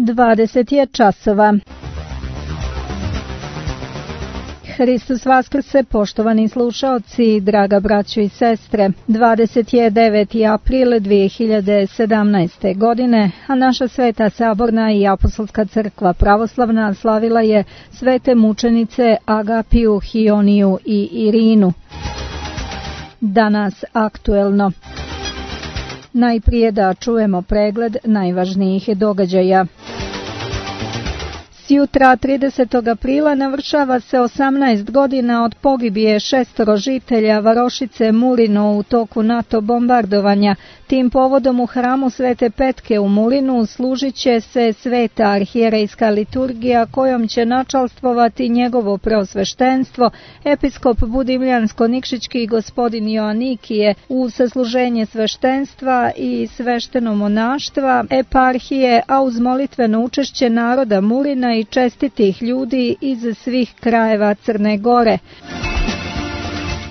20 je časova. Hristos vaskrse, poštovani slušaoci, draga braćo i sestre. 29. april 2017. godine, a naša Sveta Saborna i Apostolska crkva pravoslavna slavila je svete mučenice Agapiju, Hioniju i Irinu. Danas aktuelno. Najprije da čujemo pregled najvažnijih događaja. Sjutra 30. aprila navršava se 18 godina od pogibije 6 žitelja varošice Mulino u toku NATO bombardovanja. Tim povodom u hramu Svete Petke u Mulinu služit će se sveta arhijerejska liturgija kojom će načalstvovati njegovo preosveštenstvo, episkop Budimljansko-Nikšićki gospodin Joanikije, u sasluženje sveštenstva i svešteno monaštva, eparhije, a uz molitveno učešće naroda Mulina i čestitih ljudi iz svih krajeva Crne Gore.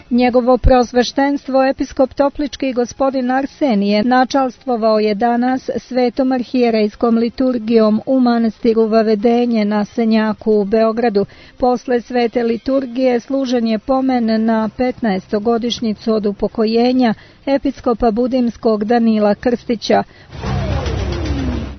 Njegovo preosveštenstvo episkop Toplički gospodin Arsenije načalstvovao je danas svetom arhijerejskom liturgijom u manastiru Vavedenje na Senjaku u Beogradu. Posle svete liturgije služen je pomen na 15. godišnjicu od upokojenja episkopa Budimskog Danila Krstića.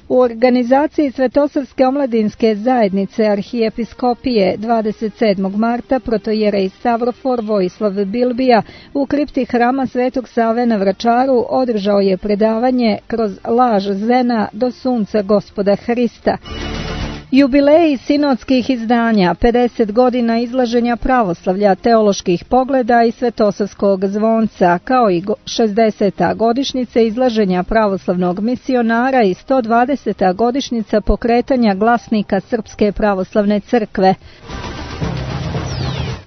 U organizaciji Svetosavske omladinske zajednice arhijepiskopije 27. marta protojerej Savrofor Vojislav Bilbija u kripti hrama Svetog Save na Vračaru održao je predavanje Kroz laž Zena do sunca Gospoda Hrista. Jubileji sinodskih izdanja, 50 godina izlaženja pravoslavlja, teoloških pogleda i Svetosavskog zvonca, kao i 60. godišnjica izlaženja pravoslavnog misionara i 120. godišnjica pokretanja glasnika Srpske pravoslavne crkve.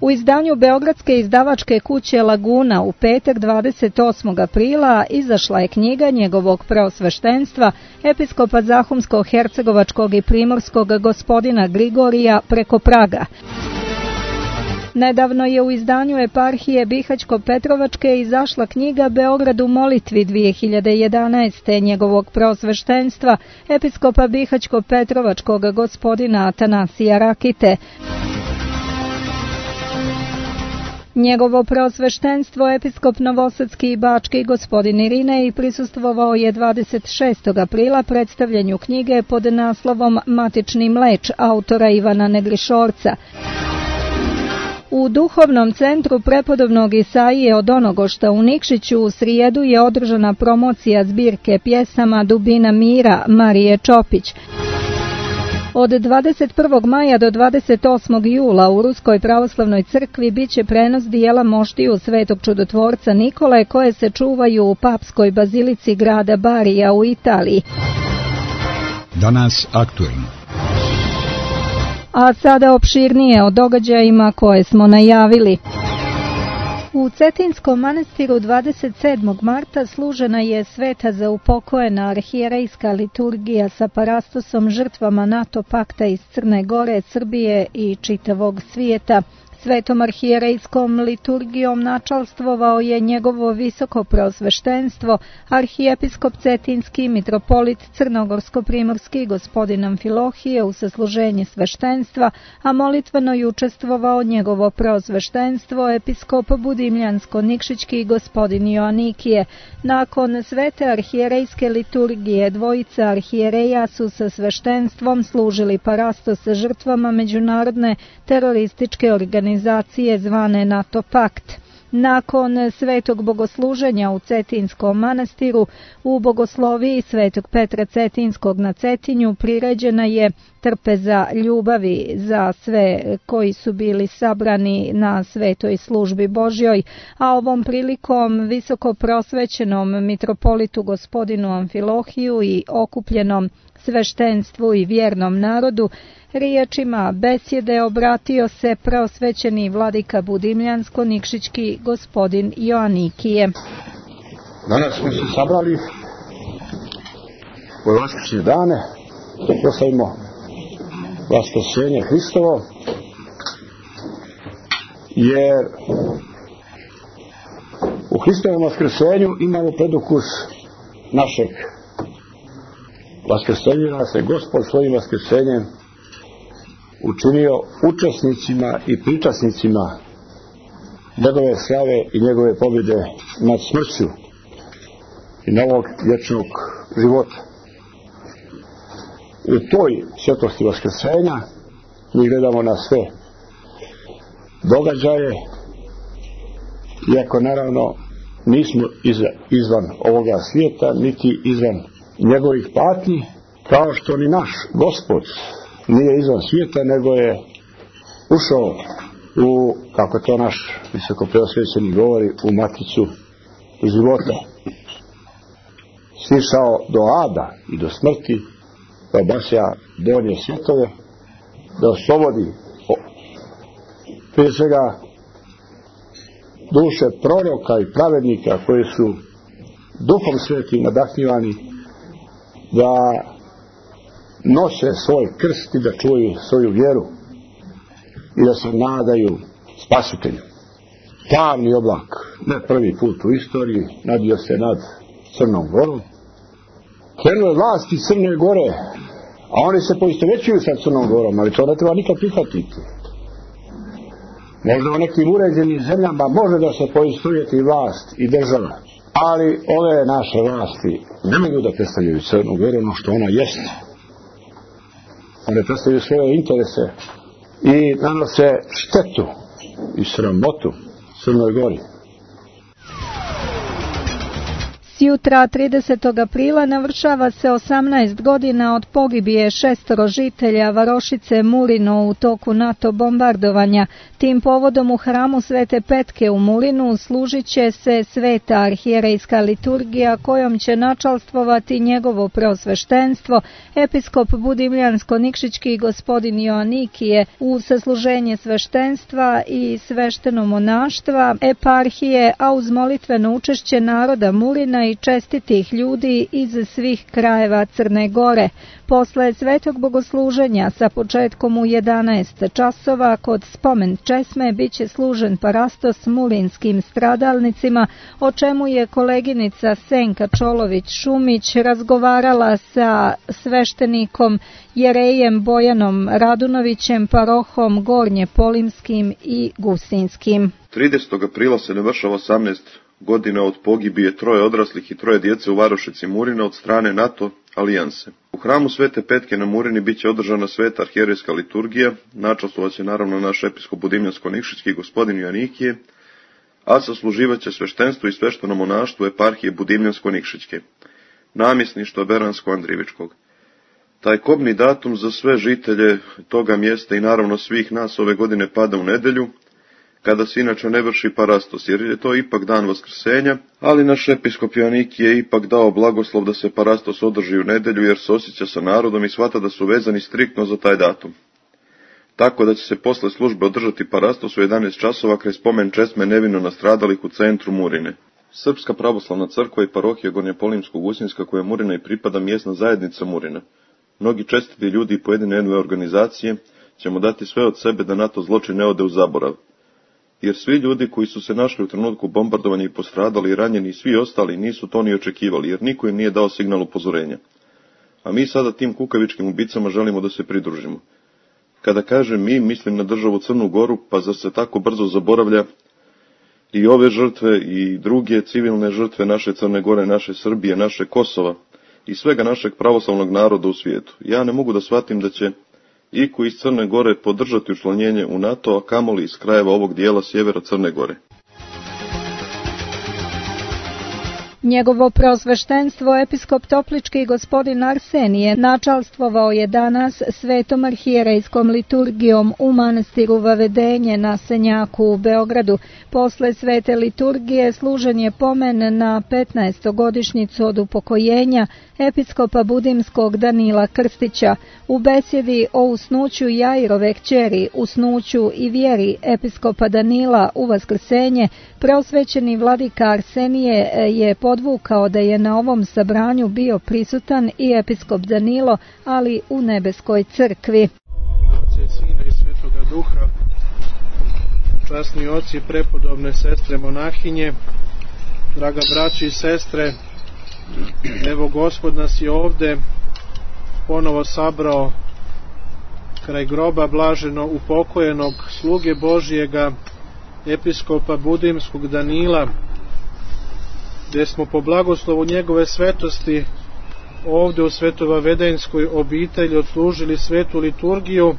U izdanju Beogradske izdavačke kuće Laguna u petak 28. aprila izašla je knjiga njegovog preosveštenstva episkopa Zahumsko-hercegovačkog i primorskog gospodina Grigorija Preko Praga. Nedavno je u izdanju eparhije Bihać-Petrovačke izašla knjiga Beograd u molitvi 2011. njegovog preosveštenstva episkopa Bihać-Petrovačkog gospodina Atanasija Rakite. Njegovo preosveštenstvo episkop Novosadski i Bački gospodin Irinej prisustvovao je 26. aprila predstavljanju knjige pod naslovom Matični mleč autora Ivana Negrišorca. U duhovnom centru prepodobnog Isaije od Onogošta u Nikšiću u srijedu je održana promocija zbirke pjesama Dubina mira Marije Čopić. Od 21. maja do 28. jula u Ruskoj pravoslavnoj crkvi biće prenos dijela moštiju Svetog čudotvorca Nikole koje se čuvaju u papskoj bazilici grada Barija u Italiji. Danas aktuelno. A sada opširnije o događajima koje smo najavili. U Cetinskom manastiru 27. marta služena je sveta za upokojena arhijerejska liturgija sa parastosom žrtvama NATO pakta iz Crne Gore, Srbije i čitavog svijeta. Svetom arhijerejskom liturgijom načalstvovao je njegovo visoko preosveštenstvo, arhijepiskop Cetinski, mitropolit Crnogorsko-primorski gospodin Amfilohije u sasluženje sveštenstva, a molitveno je učestvovao njegovo preosveštenstvo, episkop Budimljansko-Nikšićki gospodin Joanikije. Nakon svete arhijerejske liturgije, dvojica arhijereja su sa sveštenstvom služili parastos sa žrtvama međunarodne terorističke organizacije zvane NATO pakt. Nakon svetog bogosluženja u Cetinskom manastiru, u bogosloviji Svetog Petra Cetinskog na Cetinju priređena je trpeza ljubavi za sve koji su bili sabrani na svetoj službi Božjoj, a ovom prilikom visoko prosvećenom mitropolitu gospodinu Amfilohiju i okupljenom sveštenstvu i vjernom narodu riječima besjede obratio se preosvećeni vladika Budimljansko-Nikšićki gospodin Joanikije. Danas smo se sabrali u vaskršnje dane da proslavimo vaskrsenje Hristovo, jer u Hristovom vaskrsenju imamo predukus našeg vaskrsenju nas je Gospod svojim vaskrsenjem učinio učesnicima i pričasnicima njegove slave i njegove pobjede nad smrću i novog vječnog života. U toj svjetlosti vaskrsenja mi gledamo na sve događaje, iako naravno nismo izvan ovoga svijeta, niti izvan njegovih patnji, kao što ni naš Gospod nije izvan svijeta, nego je ušao u, kako to naš visoko preosvećeni govori, u maticu života. Sišao do ada i do smrti, da obasja donje svjetove, da oslobodi prije svega duše proroka i pravednika koji su Duhom Svetim nadahnjivani da nose svoj krst i da čuju svoju vjeru i da se nadaju spasitelju. Tamni oblak, ne prvi put u istoriji, nadio se nad Crnom Gorom. Krenule vlasti Crne Gore, a oni se poistovećuju sa Crnom Gorom, ali to ne treba nikad prihvatiti. Možda u nekim uređenim zemljama može da se poistovjeti vlast i država, ali ove naše vlasti ne mogu da predstavljaju Crnu Goru ono što ona jeste. One predstavljaju svoje interese i nanose štetu i sramotu Crnoj Gori. Jutra 30. aprila navršava se 18 godina od pogibije 6 žitelja varošice Mulino u toku NATO bombardovanja. Tim povodom u hramu Svete Petke u Mulinu služit će se sveta arhijerejska liturgija kojom će načalstvovati njegovo preosveštenstvo, episkop Budimljansko-Nikšićki gospodin Joanikije, uz sasluženje sveštenstva i svešteno monaštva eparhije, a uz molitveno učešće naroda Mulina i čestitih ljudi iz svih krajeva Crne Gore. Posle svetog bogosluženja sa početkom u 11 časova kod spomen česme biće služen parastos mulinskim stradalnicima, o čemu je koleginica Senka Čolović-Šumić razgovarala sa sveštenikom jerejem Bojanom Radunovićem, parohom Gornje Polimskim i Gusinskim. 30. aprila se navršava 18 godina od pogibije 3 odraslih i 3 djece u varošici Murina od strane NATO alijanse. U hramu Svete Petke na Murini biće održana sveta arhijerejska liturgija, načastvovaće naravno naš episkop Budimljansko-Nikšićki gospodin Joanikije, a sasluživaće sveštenstvo i svešteno monaštvo eparhije Budimljansko-Nikšićke, namjesništva Beransko-Andrivičkog. Taj kobni datum za sve žitelje toga mjesta i naravno svih nas ove godine pada u nedjelju, kada se inače ne vrši parastos, jer je to ipak dan vaskrsenja, ali naš episkop Joanikije je ipak dao blagoslov da se parastos održi u nedjelju, jer se osjeća sa narodom i shvata da su vezani striktno za taj datum. Tako da će se posle službe održati parastos u 11 časova kraj spomen česme nevino nastradalih u centru Murine. Srpska pravoslavna crkva i parohija Gornje-Polimsko-Gusinska, koja Murina i pripada, mjesna zajednica Murina. Mnogi čestiti ljudi i pojedine organizacije ćemo dati sve od sebe da NATO zločin ne ode u zaborav. Jer svi ljudi koji su se našli u trenutku bombardovanja i postradali i ranjeni i svi ostali nisu to ni očekivali, jer niko im nije dao signal upozorenja. A mi sada tim kukavičkim ubicama želimo da se pridružimo. Kada kažem mi, mislim na državu Crnu Goru, pa zar se tako brzo zaboravlja i ove žrtve i druge civilne žrtve naše Crne Gore, naše Srbije, naše Kosova i svega našeg pravoslavnog naroda u svijetu. Ja ne mogu da shvatim da će iko iz Crne Gore podržati učlanjenje u NATO, a kamoli iz krajeva ovog dijela sjevera Crne Gore. Njegovo preosveštenstvo episkop Toplički gospodin Arsenije načalstvovao je danas svetom arhijerejskom liturgijom u manastiru Vavedenje na Senjaku u Beogradu. Posle svete liturgije služen je pomen na 15. godišnjicu od upokojenja episkopa Budimskog Danila Krstića. U besjedi o usnuću Jairove kćeri, usnuću i vjeri episkopa Danila u vaskrsenje, preosvećeni vladika Arsenije je podvukao da je na ovom sabranju bio prisutan i episkop Danilo, ali u nebeskoj crkvi. Oca i Sina i Svetoga Duha, časni oci, prepodobne sestre monahinje, draga braći i sestre, evo Gospod nas je ovde ponovo sabrao kraj groba blaženo upokojenog sluge Božjega, episkopa Budimskog Danila, gdje smo po blagoslovu njegove svetosti ovdje u Svetovavedenskoj obitelji odslužili svetu liturgiju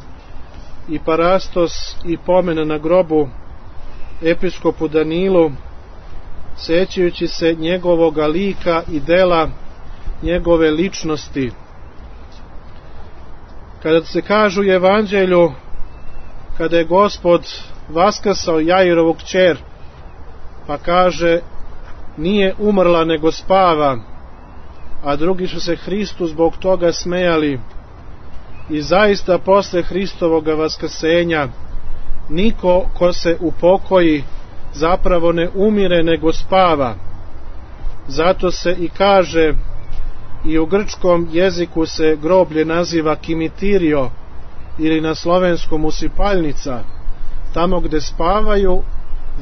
i parastos i pomen na grobu episkopu Danilu, sećajući se njegovoga lika i dela, njegove ličnosti. Kada se kažu u Evanđelju, kada je Gospod vaskrsao Jairovu kćer, pa kaže nije umrla nego spava, a drugi su se Hristu zbog toga smejali. I zaista posle Hristovoga vaskrsenja niko ko se upokoji zapravo ne umire nego spava. Zato se i kaže, i u grčkom jeziku se groblje naziva kimitirio ili na slovenskom usipaljnica, tamo gde spavaju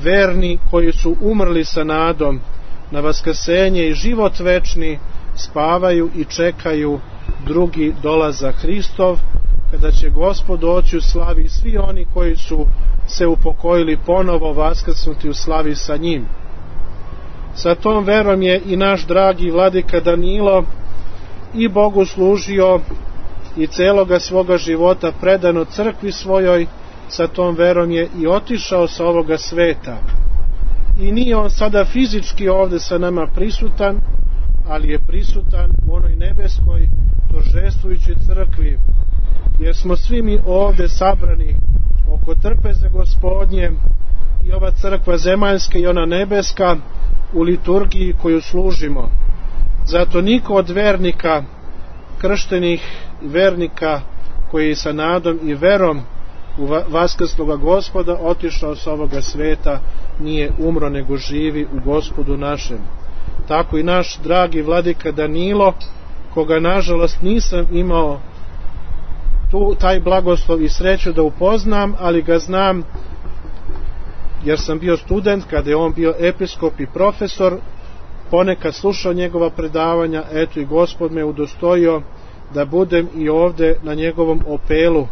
verni koji su umrli sa nadom na vaskrsenje i život večni, spavaju i čekaju drugi dolazak Hristov, kada će Gospod doći u slavi i svi oni koji su se upokojili ponovo vaskrsnuti u slavi sa njim. Sa tom verom je i naš dragi vladika Danilo i Bogu služio i celoga svoga života predano crkvi svojoj. Sa tom verom je i otišao sa ovoga sveta. I nije on sada fizički ovde sa nama prisutan, ali je prisutan u onoj nebeskoj торжествуjućoj crkvi, jer smo svi mi ovde sabrani oko trpeze Gospodnje, i ova crkva zemaljska i ona nebeska u liturgiji koju služimo. Zato niko od vernika, krštenih vernika koji sa nadom i verom u vaskrsloga Gospoda otišao sa ovoga sveta, nije umro nego živi u Gospodu našem. Tako i naš dragi vladika Danilo, koga nažalost nisam imao taj blagoslov i sreću da upoznam, ali ga znam jer sam bio student kada je on bio episkop i profesor, ponekad slušao njegova predavanja. Eto i Gospod me udostojio da budem i ovde na njegovom opelu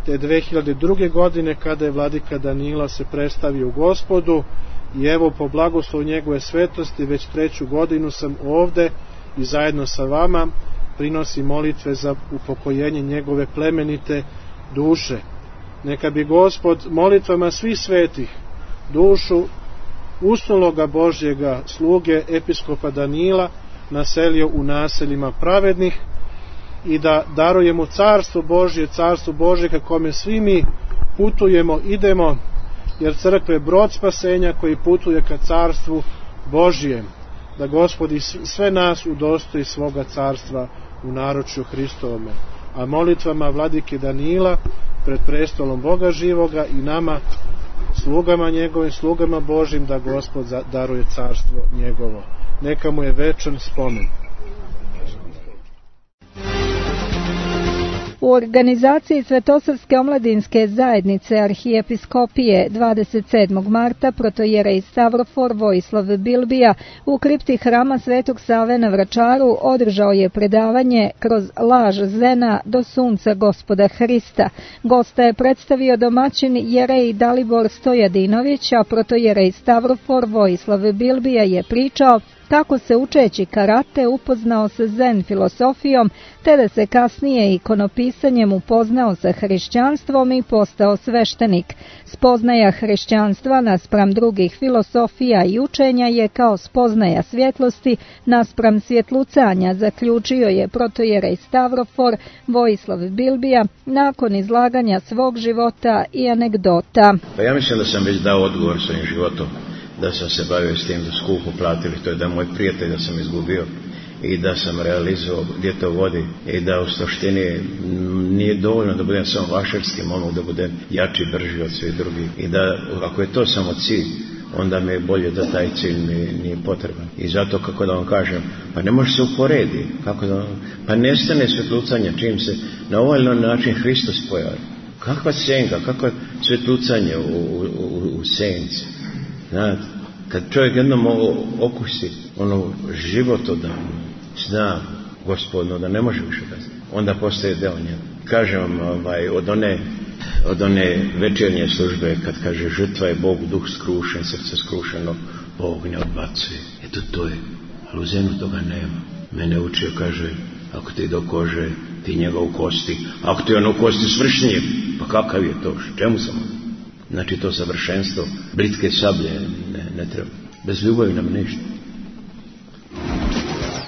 te 2002. godine kada je vladika Danilo se predstavio u Gospodu, i evo po blagoslovu njegove svetosti već 3. godinu sam ovde i zajedno sa vama prinosi molitve za upokojenje njegove plemenite duše. Neka bi Gospod molitvama svih svetih dušu usnuloga Božjega sluge episkopa Danila naselio u naseljima pravednih i da daruje mu carstvo Božje ka kome svi mi putujemo, idemo, jer crkva je brod spasenja koji putuje ka carstvu Božjem. Da Gospod i sve nas udostoji svoga carstva u naručju Hristovome. A molitvama vladike Danila pred prestolom Boga živoga i nama, slugama njegovim, slugama Božjim, da Gospod daruje carstvo njegovo. Neka mu je večan spomen. U organizaciji Svetosavske omladinske zajednice arhijepiskopije 27. marta protojerej Stavrofor Vojislav Bilbija u kripti hrama Svetog Save na Vračaru održao je predavanje Kroz laž Zena do sunca Gospoda Hrista. Gosta je predstavio domaćin jerej Dalibor Stojadinović, a protojerej Stavrofor Vojislav Bilbija je pričao kako se učeći karate upoznao sa zen filosofijom, te da se kasnije ikonopisanjem upoznao sa hrišćanstvom i postao sveštenik. Spoznaja hrišćanstva naspram drugih filosofija i učenja je kao spoznaja svjetlosti naspram svjetlucanja, zaključio je protojerej Stavrofor Vojislav Bilbija nakon izlaganja svog života i anegdota. Pa ja mislim da sam već dao odgovor svojim životom, da sam se bavio s tim da skupo platili, to je da moj prijatelj da sam izgubio i da sam realizovao gdje to vodi i da u suštini nije dovoljno da budem samo vašarski, mogu da budem jači, brži od svih drugih i da ako je to samo cilj, onda mi je bolje da taj cilj mi nije potreban. I zato, kako da vam kažem, pa ne može se uporedi, pa nestane svjetlucanje čim se na ovaj način Hristos pojavi. Kakva senka, kakva svjetlucanje u senci. Znate, kad čovjek jednom okusi ono životodavno, zna Gospodno da ne može više kazati. onda postaje deo njega. Kažem vam, od one večernje službe, kad kaže žrtva je Bog, duh skrušen, srce skrušeno, Bog ne odbacuje. Eto to je, ali u zemlju toga nema. Mene učio, kaže, ako ti do kože, ti njega u kosti, ako ti on u kosti svršnije, pa kakav je to, čemu sam on? Znači to savršenstvo, britke sablje ne treba, bez ljubavi nam ništa.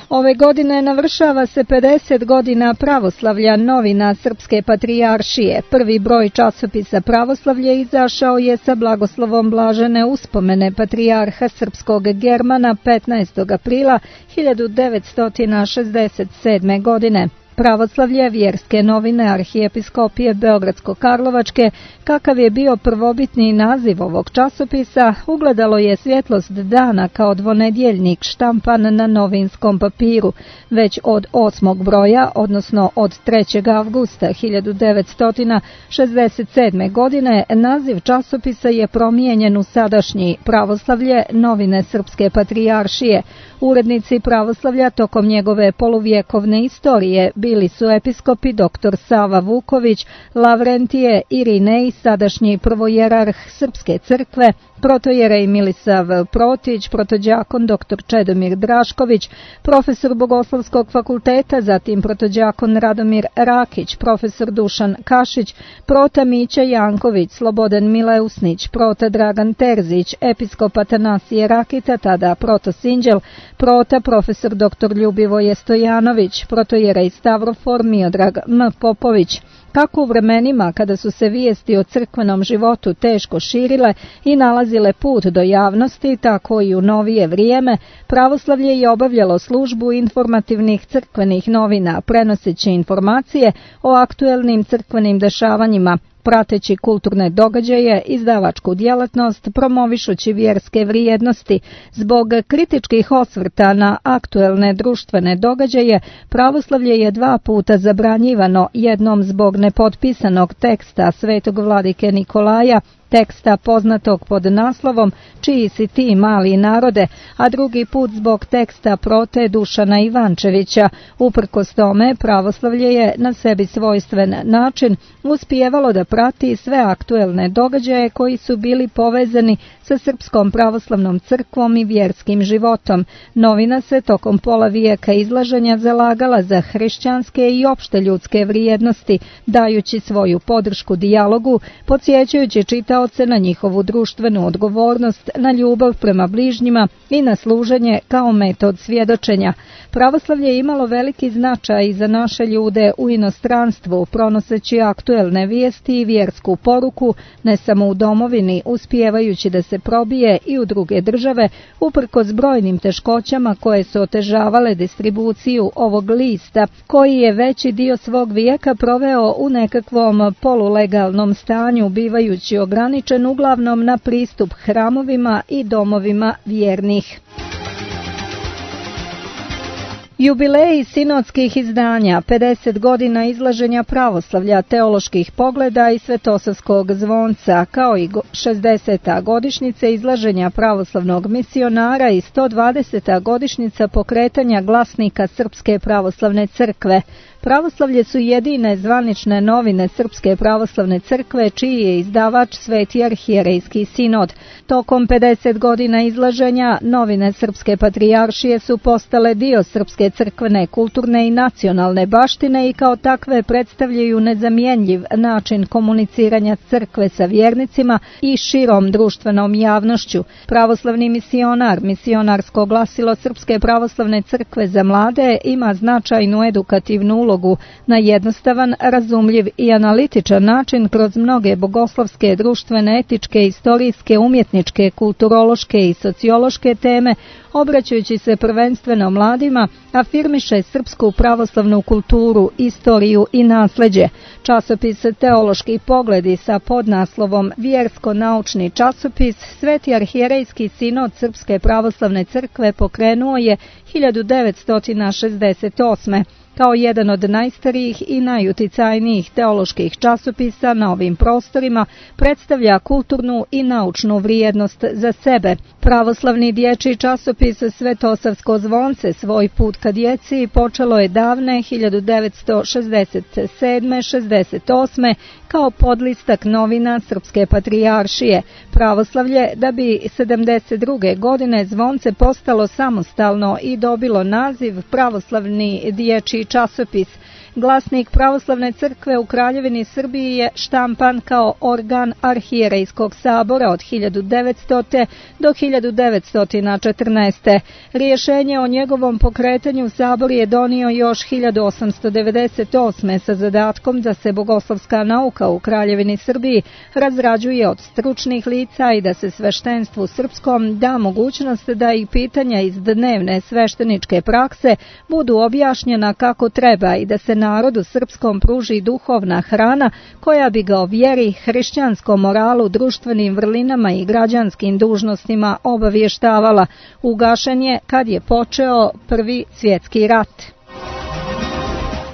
Ove godine navršava se 50 godina pravoslavlja novina Srpske patrijaršije. Prvi broj časopisa Pravoslavlje izašao je sa blagoslovom blažene uspomene patrijarha srpskog Germana 15. aprila 1967. godine. Pravoslavlje, vjerske novine Arhijepiskopije Beogradsko-Karlovačke, kakav je bio prvobitni naziv ovog časopisa, ugledalo je svjetlost dana kao dvonedjeljnik štampan na novinskom papiru. Već od 8. broja, odnosno od 3. avgusta 1967. godine, naziv časopisa je promijenjen u sadašnji Pravoslavlje, novine Srpske patrijaršije. Urednici Pravoslavlja tokom njegove poluvjekovne istorije bili su episkopi dr. Sava Vuković, Lavrentije Irinej, sadašnji prvojerarh Srpske crkve, protojerej Milisav Protić, protođakon dr. Čedomir Drašković, profesor Bogoslovskog fakulteta, zatim protođakon Radomir Rakić, profesor Dušan Kašić, prota Mića Janković, Slobodan Mileusnić, prota Dragan Terzić, episkop Atanasije Rakita, tada proto Sinđel, prota profesor dr. Ljubivoje Stojanović, protojerej Stavrofor Miodrag M. Popović. Kako u vremenima kada su se vijesti o crkvenom životu teško širile i nalazile put do javnosti, tako i u novije vrijeme, Pravoslavlje je obavljalo službu informativnih crkvenih novina, prenoseći informacije o aktuelnim crkvenim dešavanjima, prateći kulturne događaje, izdavačku djelatnost, promovišući vjerske vrijednosti. Zbog kritičkih osvrta na aktuelne društvene događaje, Pravoslavlje je 2 puta zabranjivano, jednom zbog nepotpisanog teksta svetog vladike Nikolaja, teksta poznatog pod naslovom Čiji si ti mali narode, a drugi put zbog teksta prote Dušana Ivančevića. Uprkos tome, Pravoslavlje je na sebi svojstven način uspijevalo da prati sve aktuelne događaje koji su bili povezani sa Srpskom pravoslavnom crkvom i vjerskim životom. Novina se tokom pola vijeka izlaženja zalagala za hrišćanske i opšte ljudske vrijednosti, dajući svoju podršku dijalogu, podsjećajući čitaoce na njihovu društvenu odgovornost, na ljubav prema bližnjima i na služenje kao metod svjedočenja. Pravoslavlje je imalo veliki značaj i za naše ljude u inostranstvu, pronoseći aktuelne vijesti i vjersku poruku, ne samo u domovini, uspijevajući da se probije i u druge države, uprkos brojnim teškoćama koje su otežavale distribuciju ovog lista, koji je veći dio svog vijeka proveo u nekakvom polulegalnom stanju, bivajući ograničen uglavnom na pristup hramovima i domovima vjernih. Jubileji sinodskih izdanja, 50 godina izlaženja pravoslavlja, teoloških pogleda i svetosavskog zvonca, kao i 60. godišnjica izlaženja pravoslavnog misionara i 120. godišnjica pokretanja glasnika Srpske pravoslavne crkve. Pravoslavlje su jedine zvanične novine Srpske pravoslavne crkve, čiji je izdavač Sveti arhijerejski sinod. Tokom 50 godina izlaženja, novine Srpske patrijaršije su postale dio srpske crkvene, kulturne i nacionalne baštine i kao takve predstavljaju nezamjenjiv način komuniciranja crkve sa vjernicima i širom društvenom javnošću. Pravoslavni misionar, misionarsko glasilo Srpske pravoslavne crkve za mlade, ima značajnu edukativnu ulogu na jednostavan, razumljiv i analitičan način kroz mnoge bogoslovske, društvene, etičke, istorijske, umjetničke, kulturološke i sociološke teme, obraćajući se prvenstveno mladima, afirmiše srpsku pravoslavnu kulturu, istoriju i nasljeđe. Časopis Teološki pogledi sa podnaslovom Vjersko-naučni časopis Sveti arhijerejski sinod Srpske pravoslavne crkve pokrenuo je 1968. Kao jedan od najstarijih i najuticajnijih teoloških časopisa na ovim prostorima predstavlja kulturnu i naučnu vrijednost za sebe. Pravoslavni dječji časopis Svetosavsko zvonce svoj put ka djeci počelo je davne 1967-68 kao podlistak novina Srpske patrijaršije Pravoslavlje, da bi 72. godine zvonce postalo samostalno i dobilo naziv Pravoslavni dječji časopis. Glasnik Pravoslavne crkve u Kraljevini Srbiji je štampan kao organ Arhijerejskog sabora od 1900. do 1914. Rješenje o njegovom pokretanju sabor je donio još 1898. sa zadatkom da se bogoslovska nauka u Kraljevini Srbiji razrađuje od stručnih lica i da se sveštenstvu srpskom da mogućnost da i pitanja iz dnevne svešteničke prakse budu objašnjena kako treba i da se narodu srpskom pruži duhovna hrana koja bi ga o vjeri, hrišćanskom moralu, društvenim vrlinama i građanskim dužnostima obavještavala. Ugašen je kad je počeo Prvi svjetski rat.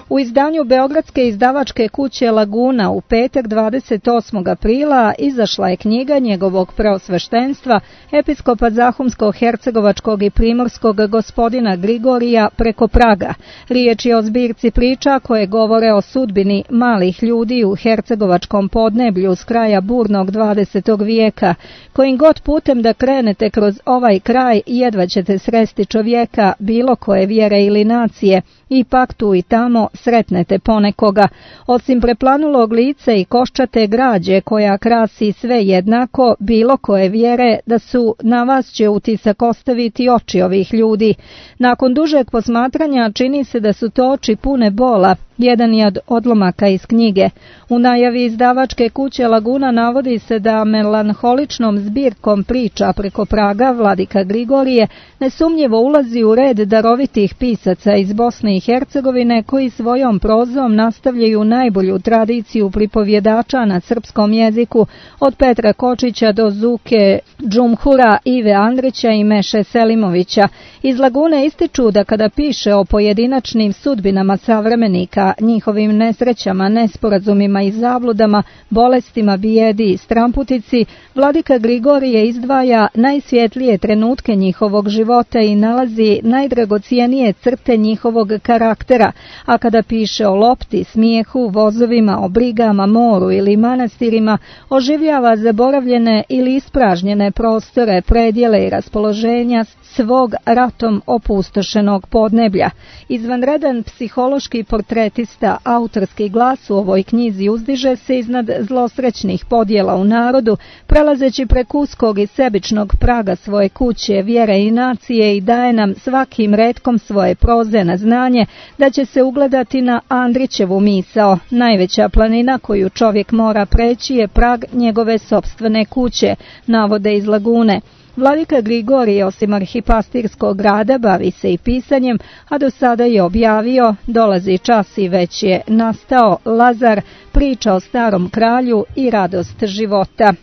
U izdanju beogradske izdavačke kuće Laguna u petak 28. aprila izašla je knjiga njegovog preosveštenstva, episkopa Zahumsko-hercegovačkog i primorskog gospodina Grigorija Preko praga. Riječ je o zbirci priča koje govore o sudbini malih ljudi u hercegovačkom podneblju s kraja burnog 20. vijeka. Kojim god putem da krenete kroz ovaj kraj, jedva ćete sresti čovjeka bilo koje vjere ili nacije. Ipak tu i tamo sretnete ponekoga. Osim preplanulog lica i koščate građe koja krasi sve jednako, bilo koje vjere, da su na vas će utisak ostaviti oči ovih ljudi. Nakon dužeg posmatranja čini se da su to oči pune bola. Jedan je od odlomaka iz knjige. U najavi izdavačke kuće Laguna navodi se da melanholičnom zbirkom priča Preko praga vladika Grigorije nesumnjivo ulazi u red darovitih pisaca iz Bosne i Hercegovine koji svojom prozom nastavljaju najbolju tradiciju pripovjedača na srpskom jeziku od Petra Kočića do Zuke Džumhura, Ive Andrića i Meše Selimovića. Iz Lagune ističu da kada piše o pojedinačnim sudbinama savremenika, njihovim nesrećama, nesporazumima i zabludama, bolestima, bijedi i stramputici, vladika Grigorije izdvaja najsvjetlije trenutke njihovog života i nalazi najdragocijenije crte njihovog karaktera, a kada piše o lopti, smijehu, vozovima, o brigama, moru ili manastirima, oživljava zaboravljene ili ispražnjene prostore, predjele i raspoloženja svog ratom opustošenog podneblja. Izvanredan psihološki portretista, autorski glas u ovoj knjizi uzdiže se iznad zlosrećnih podjela u narodu, prelazeći preko uskog i sebičnog praga svoje kuće, vjere i nacije, i daje nam svakim retkom svoje proze na znanje da će se ugledati na Andrićevu misao. Najveća planina koju čovjek mora preći je prag njegove sopstvene kuće, navode iz Lagune. Vladika Grigorije, osim arhipastirskog rada, bavi se i pisanjem, a do sada je objavio Dolazi čas i već je nastao, Lazar, Priča o starom kralju i Radost života.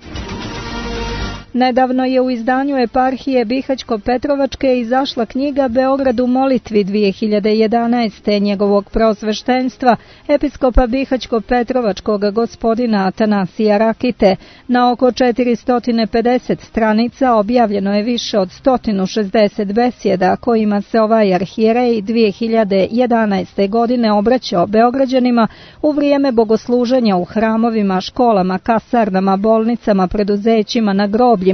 Nedavno je u izdanju eparhije Bihaćko-Petrovačke izašla knjiga Beograd u molitvi 2011. njegovog preosveštenstva, episkopa Bihaćko-Petrovačkog gospodina Atanasija Rakite. Na oko 450 stranica objavljeno je više od 160 besjeda kojima se ovaj arhijerej 2011. godine obraćao Beograđanima u vrijeme bogosluženja u hramovima, školama, kasarnama, bolnicama, preduzećima, na groblju.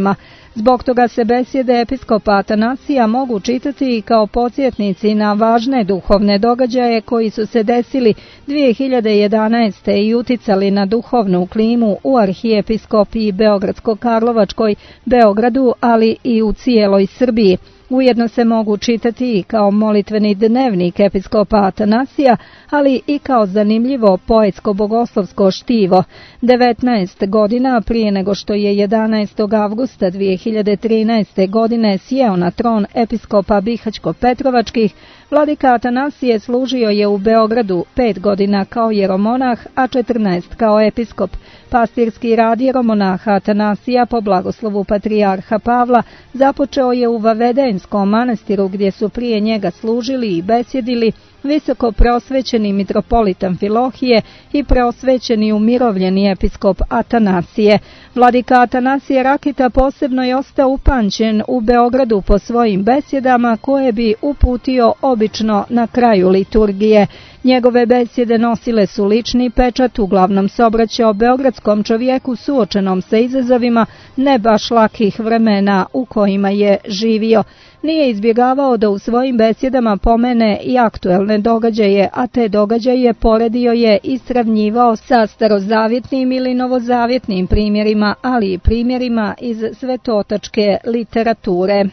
Zbog toga se besjede episkopa Atanasija mogu čitati i kao podsjetnici na važne duhovne događaje koji su se desili 2011. i uticali na duhovnu klimu u arhijepiskopiji Beogradsko-Karlovačkoj, Beogradu, ali i u cijeloj Srbiji. Ujedno se mogu čitati i kao molitveni dnevnik episkopa Atanasija, ali i kao zanimljivo poetsko-bogoslovsko štivo. 19 godina prije nego što je 11. avgusta 2013. godine sjeo na tron episkopa Bihaćko-Petrovačkih, vladika Atanasije služio je u Beogradu 5 godina kao jeromonah, a 14 kao episkop. Pastirski rad jeromonaha Atanasija po blagoslovu patrijarha Pavla započeo je u Vavedenskom manastiru gdje su prije njega služili i besjedili visoko preosvećeni mitropolit Amfilohije i preosvećeni umirovljeni episkop Atanasije. Vladika Atanasije Rakita posebno je ostao upamćen u Beogradu po svojim besjedama koje bi uputio obično na kraju liturgije. Njegove besjede nosile su lični pečat, uglavnom se obraćao beogradskom čovjeku suočenom sa izazovima ne baš lakih vremena u kojima je živio. Nije izbjegavao da u svojim besjedama pomene i aktuelne događaje, a te događaje poredio je i sravnjivao sa starozavjetnim ili novozavjetnim primjerima, ali i primjerima iz svetotačke literature.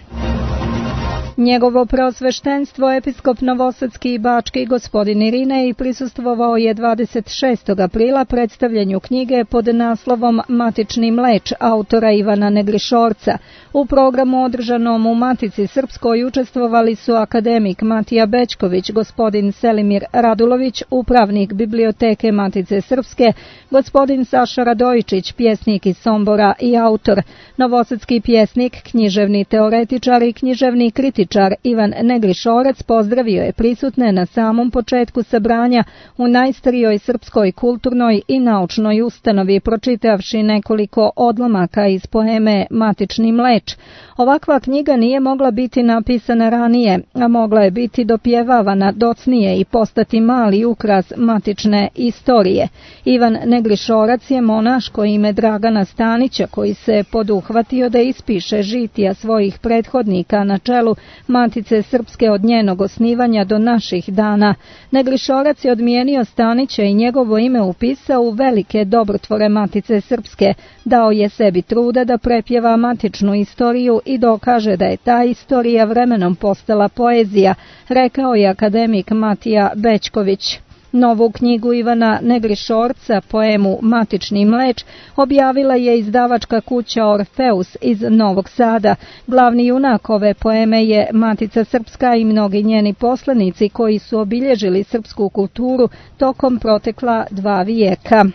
Njegovo preosveštenstvo episkop Novosadski i Bački gospodin Irinej prisustvovao je 26. aprila predstavljanju knjige pod naslovom Matični mleč autora Ivana Negrišorca. U programu održanom u Matici Srpskoj učestvovali su akademik Matija Bećković, gospodin Selimir Radulović, upravnik biblioteke Matice Srpske, gospodin Saša Radojičić, pjesnik iz Sombora i autor, novosadski pjesnik, književni teoretičar i književni kritičar Ivan Negrišorac pozdravio je prisutne na samom početku sabranja u najstarijoj srpskoj kulturnoj i naučnoj ustanovi, pročitavši nekoliko odlomaka iz poeme Matični mleč. Ovakva knjiga nije mogla biti napisana ranije, a mogla je biti dopjevavana docnije i postati mali ukras matične istorije. Ivan Negrišorac je monaško ime Dragana Stanića, koji se poduhvatio da ispiše žitija svojih prethodnika na čelu Matice Srpske od njenog osnivanja do naših dana. Negrišorac je odmijenio Stanića i njegovo ime upisao u velike dobrotvore Matice Srpske. Dao je sebi truda da prepjeva matičnu istoriju i dokaže da je ta istorija vremenom postala poezija, rekao je akademik Matija Bećković. Novu knjigu Ivana Negrišorca, poemu Matični mleč, objavila je izdavačka kuća Orfeus iz Novog Sada. Glavni junak ove poeme je Matica Srpska i mnogi njeni poslanici koji su obilježili srpsku kulturu tokom protekla 2 vijeka.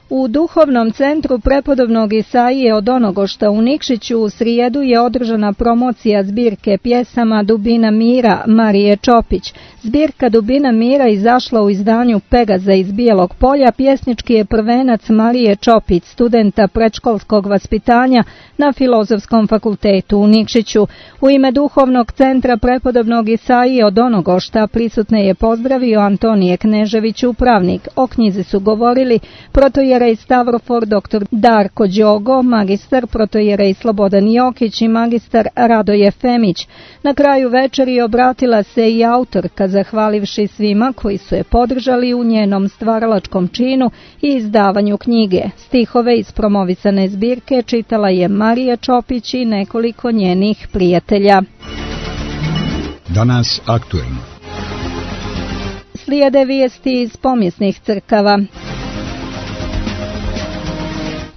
U duhovnom centru prepodobnog Isaije od Onogošta u Nikšiću u srijedu je održana promocija zbirke pjesama Dubina mira Marije Čopić. Zbirka Dubina mira izašla u izdanju Pegaza iz Bijelog Polja. Pjesnički je prvenac Marije Čopić, studenta predškolskog vaspitanja na Filozofskom fakultetu u Nikšiću. U ime duhovnog centra prepodobnog Isaije od Onogošta prisutne je pozdravio Antonije Knežević, upravnik. O knjizi su govorili protojerej Stavrofor dr. Darko Đogo, magistar protojerej Slobodan Jokić i magistar Radoje Femić. Na kraju večeri obratila se i autorka, zahvalivši svima koji su je podržali u njenom stvaralačkom činu i izdavanju knjige. Stihove iz promovisane zbirke čitala je Marija Čopić i nekoliko njenih prijatelja. Danas aktuelno. Slijede vijesti iz pomjesnih crkava.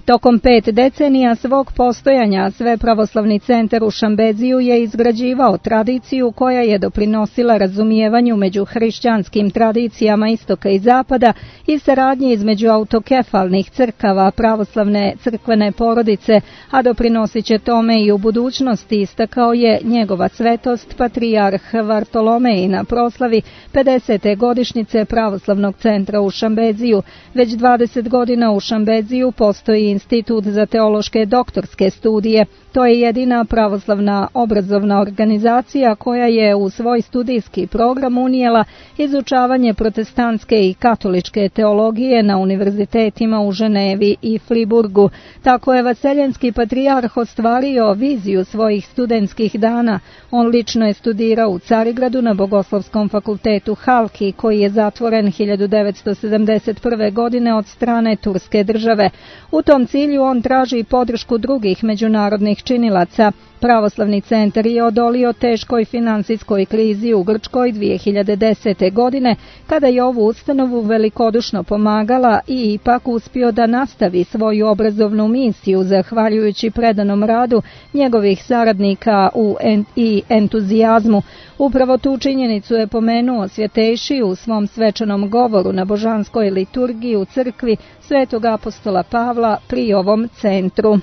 Tokom 5 decenija svog postojanja Svepravoslavni centar u Šambeziju je izgrađivao tradiciju koja je doprinosila razumijevanju među hrišćanskim tradicijama istoka i zapada i saradnji između autokefalnih crkava pravoslavne crkvene porodice, a doprinosit će tome i u budućnosti, istakao je njegova svetost patrijarh Vartolomej na proslavi 50. godišnjice Pravoslavnog centra u Šambeziju. Već 20 godina u Šambeziju postoji Institut za teološke doktorske studije. To je jedina pravoslavna obrazovna organizacija koja je u svoj studijski program unijela izučavanje protestantske i katoličke teologije na univerzitetima u Ženevi i Friburgu. Tako je vaseljenski patrijarh ostvario viziju svojih studentskih dana. On lično je studirao u Carigradu na Bogoslovskom fakultetu Halki, koji je zatvoren 1971. godine od strane Turske države. U tom cilju on traži podršku drugih međunarodnih činilaca. Pravoslavni centar je odolio teškoj finansijskoj krizi u Grčkoj 2010. godine, kada je ovu ustanovu velikodušno pomagala i ipak uspio da nastavi svoju obrazovnu misiju zahvaljujući predanom radu njegovih saradnika i entuzijazmu. Upravo tu činjenicu je pomenuo Svjetejši u svom svečanom govoru na božanskoj liturgiji u crkvi Svetog apostola Pavla pri ovom centru.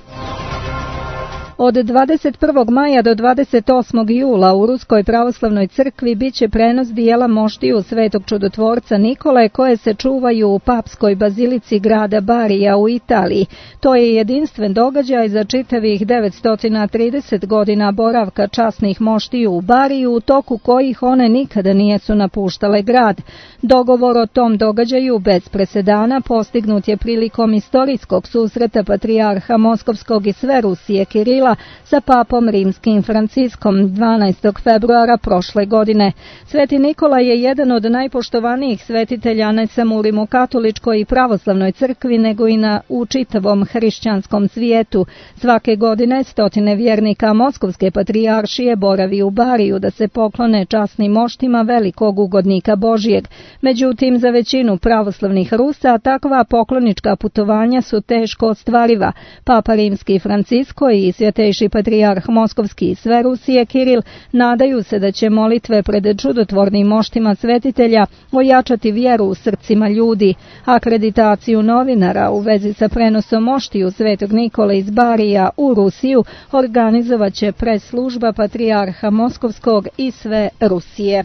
Od 21. maja do 28. jula u Ruskoj pravoslavnoj crkvi biće prenos dijela moštiju Svetog čudotvorca Nikole koje se čuvaju u papskoj bazilici grada Barija u Italiji. To je jedinstven događaj za čitavih 930 godina boravka časnih moštiju u Bariju, u toku kojih one nikada nijesu napuštale grad. Dogovor o tom događaju bez presedana postignut je prilikom istorijskog susreta patrijarha Moskovskog i sve Rusije Kirila sa papom rimskim Franciskom 12. februara prošle godine. Sveti Nikola je jedan od najpoštovanijih svetitelja ne samo u rimokatoličkoj i pravoslavnoj crkvi, nego i u čitavom hrišćanskom svijetu. Svake godine stotine vjernika Moskovske patrijaršije boravi u Bariju da se poklone časnim moštima velikog ugodnika Božijeg. Međutim, za većinu pravoslavnih Rusa takva poklonička putovanja su teško ostvariva. Papa rimski Francisko i svjetejši patrijarh Moskovski i sve Rusije Kiril nadaju se da će molitve pred čudotvornim moštima svetitelja ojačati vjeru u srcima ljudi. Akreditaciju novinara u vezi sa prenosom moštiju Svetog Nikole iz Barija u Rusiju organizovat će pres služba patrijarha Moskovskog i sve Rusije.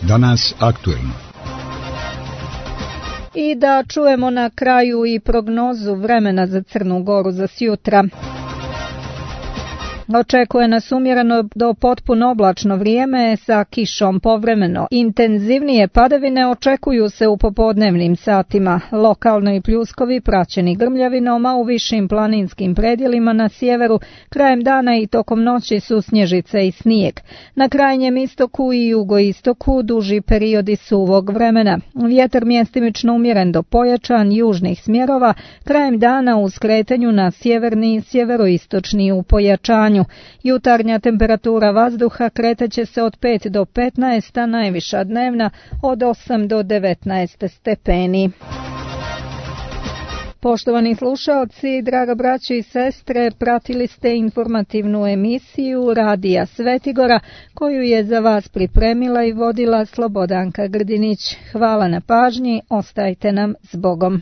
Danas aktuelno. I da čujemo na kraju i prognozu vremena za Crnu Goru za sjutra. Očekuje nas umjereno do potpuno oblačno vrijeme sa kišom povremeno. Intenzivnije padavine očekuju se u popodnevnim satima. Lokalno i pljuskovi praćeni grmljavinom, a u višim planinskim predjelima na sjeveru krajem dana i tokom noći su snježice i snijeg. Na krajnjem istoku i jugoistoku duži periodi suvog vremena. Vjetar mjestimično umjeren do pojačan južnih smjerova, krajem dana u skretanju na sjeverni i sjeveroistočni u pojačanju. Jutarnja temperatura vazduha kretaće se od 5 do 15, a najviša dnevna od 8 do 19 stepeni. Poštovani slušaoci, draga braćo i sestre, pratili ste informativnu emisiju Radija Svetigora koju je za vas pripremila i vodila Slobodanka Grdinić. Hvala na pažnji, ostajte nam s Bogom.